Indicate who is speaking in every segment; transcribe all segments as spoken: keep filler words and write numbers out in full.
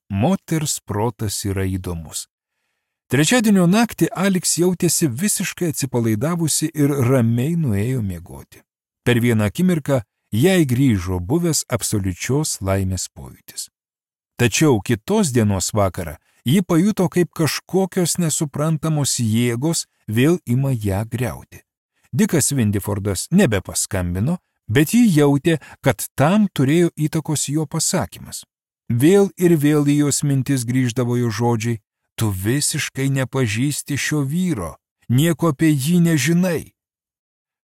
Speaker 1: Moters protas yra įdomus. Trečiadienio naktį Alex jautėsi visiškai atsipalaidavusi ir ramiai nuėjo miegoti. Per vieną akimirką jai grįžo buvęs absoliučios laimės pojūtis. Tačiau kitos dienos vakarą ji pajuto, kaip kažkokios nesuprantamos jėgos vėl ima ją griauti. Dikas Windifordas nebepaskambino, bet ji jautė, kad tam turėjo įtakos jo pasakymas. Vėl ir vėl į jos mintis grįždavo jo žodžiai: tu visiškai nepažįsti šio vyro, nieko apie jį nežinai.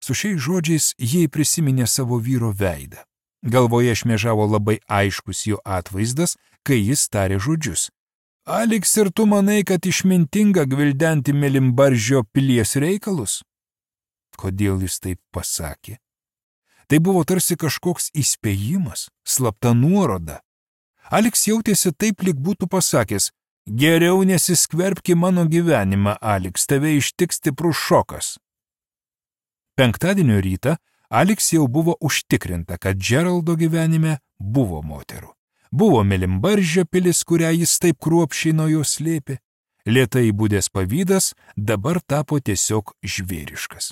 Speaker 1: Su šiais žodžiais jie prisiminė savo vyro veidą. Galvoje šmėžavo labai aiškus jo atvaizdas, kai jis tarė žodžius: Alex, ir tu manai, kad išmintinga gvildenti Mėlynbaržio pilies reikalus? Kodėl jis taip pasakė? Tai buvo tarsi kažkoks įspėjimas, slapta nuoroda. Alex jautėsi taip, lyg būtų pasakęs: geriau nesiskverbki mano gyvenimą, Alex, tave ištiks stiprus šokas. Penktadienio rytą Alex jau buvo užtikrinta, kad Geraldo gyvenime buvo moterų. Buvo Mėlynbaržio pilis, kurią jis taip kruopščiai nuo jo slėpė. Lėtai būdęs pavydas dabar tapo tiesiog žvėriškas.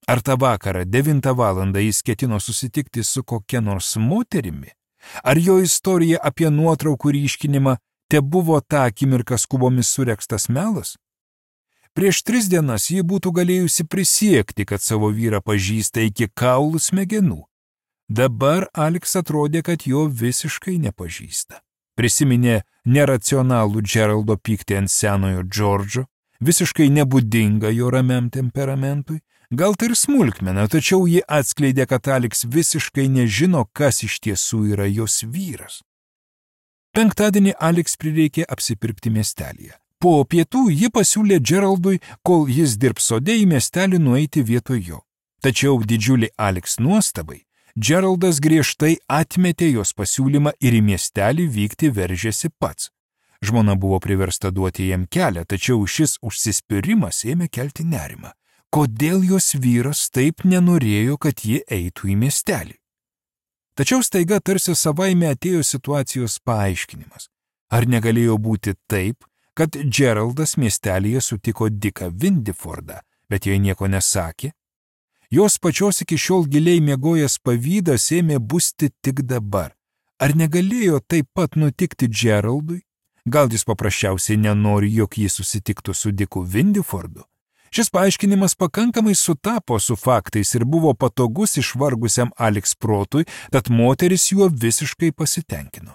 Speaker 1: Ar tą vakarą devintą valandą jis ketino susitikti su kokia nors moterimi? Ar jo istorija apie nuotraukų ryškinimą te buvo tą akimirką skubomis surekstas melas? Prieš tris dienas ji būtų galėjusi prisiekti, kad savo vyrą pažįsta iki kaulų smegenų. Dabar Alex atrodė, kad jo visiškai nepažįsta. Prisiminė neracionalų Geraldo pyktį ant senojo Džordžo, visiškai nebūdinga jo ramiam temperamentui. Gal tai ir smulkmena, tačiau ji atskleidė, kad Alex visiškai nežino, kas iš tiesų yra jos vyras. Penktadienį Alex prireikė apsipirkti miestelėje. Po pietų ji pasiūlė Geraldui, kol jis dirbs sode, į miestelį nueiti vietoj jo. Tačiau didžiulį Alex nuostabai, Geraldas griežtai atmetė jos pasiūlymą ir į miestelį vykti veržėsi pats. Žmona buvo priversta duoti jam kelią, tačiau šis užsispyrimas ėmė kelti nerimą. Kodėl jos vyras taip nenorėjo, kad ji eitų į miestelį? Tačiau staiga tarsi savaime atėjo situacijos paaiškinimas. Ar negalėjo būti taip, kad Geraldas miestelėje sutiko Diką Windifordą, bet jai nieko nesakė? Jos pačios iki šiol giliai miegojęs pavydas ėmė busti tik dabar. Ar negalėjo taip pat nutikti Geraldui? Gal jis paprasčiausiai nenori, jog jis susitiktų su Diku Windifordu? Šis paaiškinimas pakankamai sutapo su faktais ir buvo patogus išvargusiam Alex protui, tad moteris juo visiškai pasitenkino.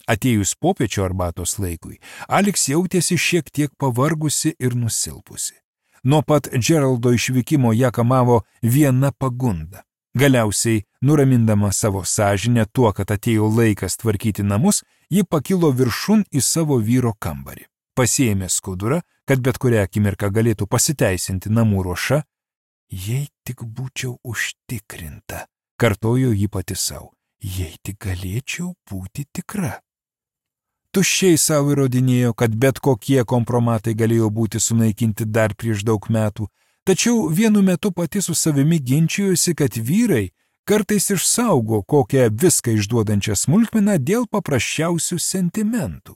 Speaker 1: Atėjus popiečio arbatos laikui, Alex jautėsi šiek tiek pavargusi ir nusilpusi. Nuo pat Geraldo išvykimo ją kamavo viena pagunda. Galiausiai, nuramindama savo sąžinę tuo, kad atėjo laikas tvarkyti namus, ji pakilo viršun į savo vyro kambarį. Pasiėmė skudurą, kad bet kurią akimirką galėtų pasiteisinti namų ruoša. Jei tik būčiau užtikrinta, kartojo ji pati savo, jei tik galėčiau būti tikra. Tuščiai savo įrodinėjo, kad bet kokie kompromatai galėjo būti sunaikinti dar prieš daug metų, tačiau vienu metu pati su savimi ginčijosi, kad vyrai kartais išsaugo kokią viską išduodančią smulkmeną dėl paprasčiausių sentimentų.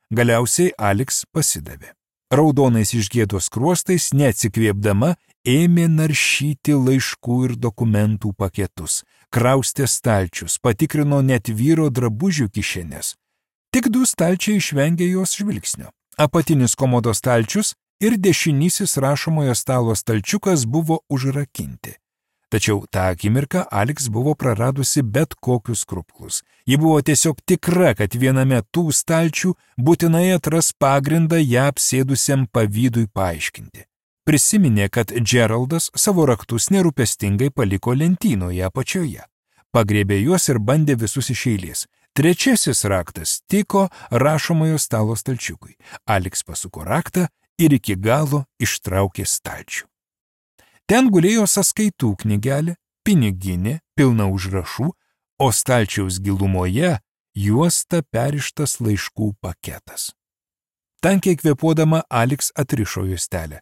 Speaker 1: Galiausiai Alex pasidavė. Raudonais iš gėdos skruostais, neatsikvėpdama, ėmė naršyti laiškų ir dokumentų paketus, kraustė stalčius, patikrino net vyro drabužių kišenės. Tik du stalčiai išvengė jos žvilgsnio. Apatinis komodo stalčius ir dešinysis rašomojo stalo stalčiukas buvo užrakinti. Tačiau tą akimirką Alex buvo praradusi bet kokius skrupuklus. Ji buvo tiesiog tikra, kad viename tų stalčių būtinai atras pagrindą ją apsėdusiam pavydui paaiškinti. Prisiminė, kad Geraldas savo raktus nerūpestingai paliko lentynoje apačioje. Pagriebė juos ir bandė visus iš eilės. Trečiasis raktas tiko rašomojo stalo stalčiukui. Alex pasuko raktą ir iki galo ištraukė stalčių. Ten gulėjo sąskaitų knygelė, piniginė, pilna užrašų, o stalčiaus gilumoje juosta perištas laiškų paketas. Tankiai kvėpuodama Alex atrišo juostelę.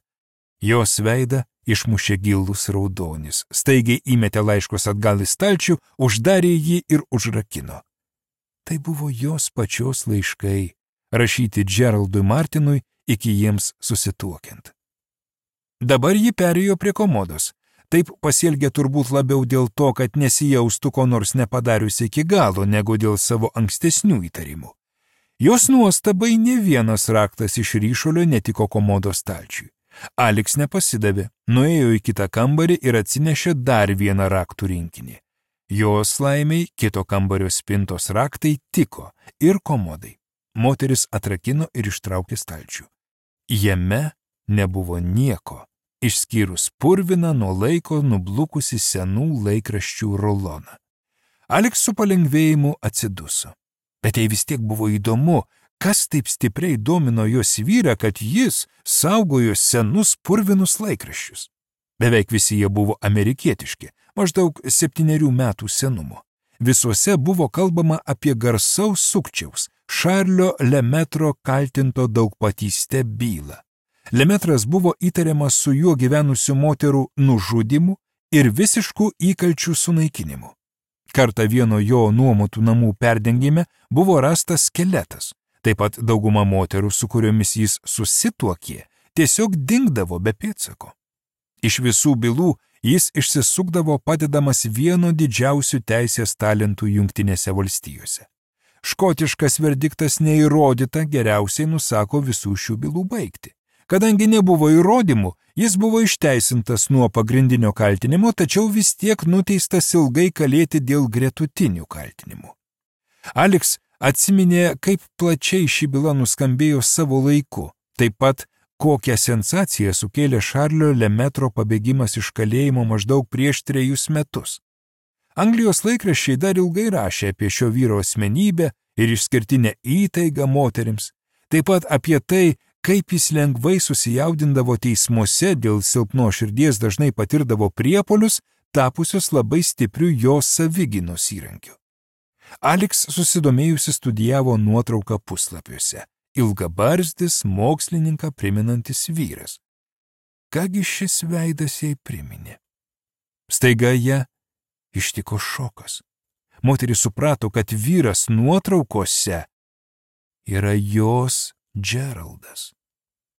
Speaker 1: Jos veidą išmušė gilus raudonis, staigiai įmetė laiškus atgal į stalčių, uždarė jį ir užrakino. Tai buvo jos pačios laiškai, rašyti Geraldui Martinui iki jiems susituokiant. Dabar ji perėjo prie komodos. Taip pasielgė turbūt labiau dėl to, kad nesijaustų ko nors nepadariusi iki galo, negu dėl savo ankstesnių įtarimų. Jos nuostabai ne vienas raktas iš ryšulio netiko komodos stalčiui. Alex nepasidavė, nuėjo į kitą kambarį ir atsinešė dar vieną raktų rinkinį. Jos laimiai kito kambario spintos raktai tiko ir komodai. Moteris atrakino ir ištraukė stalčių. Jame nebuvo nieko, išskyrus purviną nuo laiko nublukusi senų laikraščių ruloną. Alex su palengvėjimu atsiduso. Bet jai vis tiek buvo įdomu, kas taip stipriai domino jos vyrą, kad jis saugojo senus purvinus laikraščius. Beveik visi jie buvo amerikietiški, maždaug septynerių metų senumo. Visuose buvo kalbama apie garsaus sukčiaus, Šarlio Lemetro kaltinto daugpatyste bylą. Lemetras buvo įtariamas su juo gyvenusių moterų nužudymu ir visiškų įkalčių sunaikinimu. Kartą vieno jo nuomotų namų perdengime buvo rastas skeletas. Taip pat dauguma moterų, su kuriomis jis susituokė, tiesiog dingdavo be pėdsako. Iš visų bylų jis išsisukdavo padedamas vieno didžiausių teisės talentų Jungtinėse valstijose. Škotiškas verdiktas neįrodyta geriausiai nusako visų šių bylų baigti. Kadangi nebuvo įrodymų, jis buvo išteisintas nuo pagrindinio kaltinimo, tačiau vis tiek nuteistas ilgai kalėti dėl gretutinių kaltinimų. Alex atsiminė, kaip plačiai ši byla nuskambėjo savo laiku, taip pat kokią sensaciją sukėlė Šarlio Lemetro pabėgimas iš kalėjimo maždaug prieš trejus metus. Anglijos laikraščiai dar ilgai rašė apie šio vyro asmenybę ir išskirtinę įtaigą moterims, taip pat apie tai, kaip jis lengvai susijaudindavo teismuose dėl silpno širdies dažnai patirdavo priepuolius, tapusius labai stipriu jo savigynos įrankiu. Alex susidomėjusi studijavo nuotrauką puslapiuose. Ilgabarzdis, mokslininką priminantis vyras. Kągi šis veidas jai priminė? Staiga ją ištiko šokas. Moteris suprato, kad vyras nuotraukose yra jos Geraldas.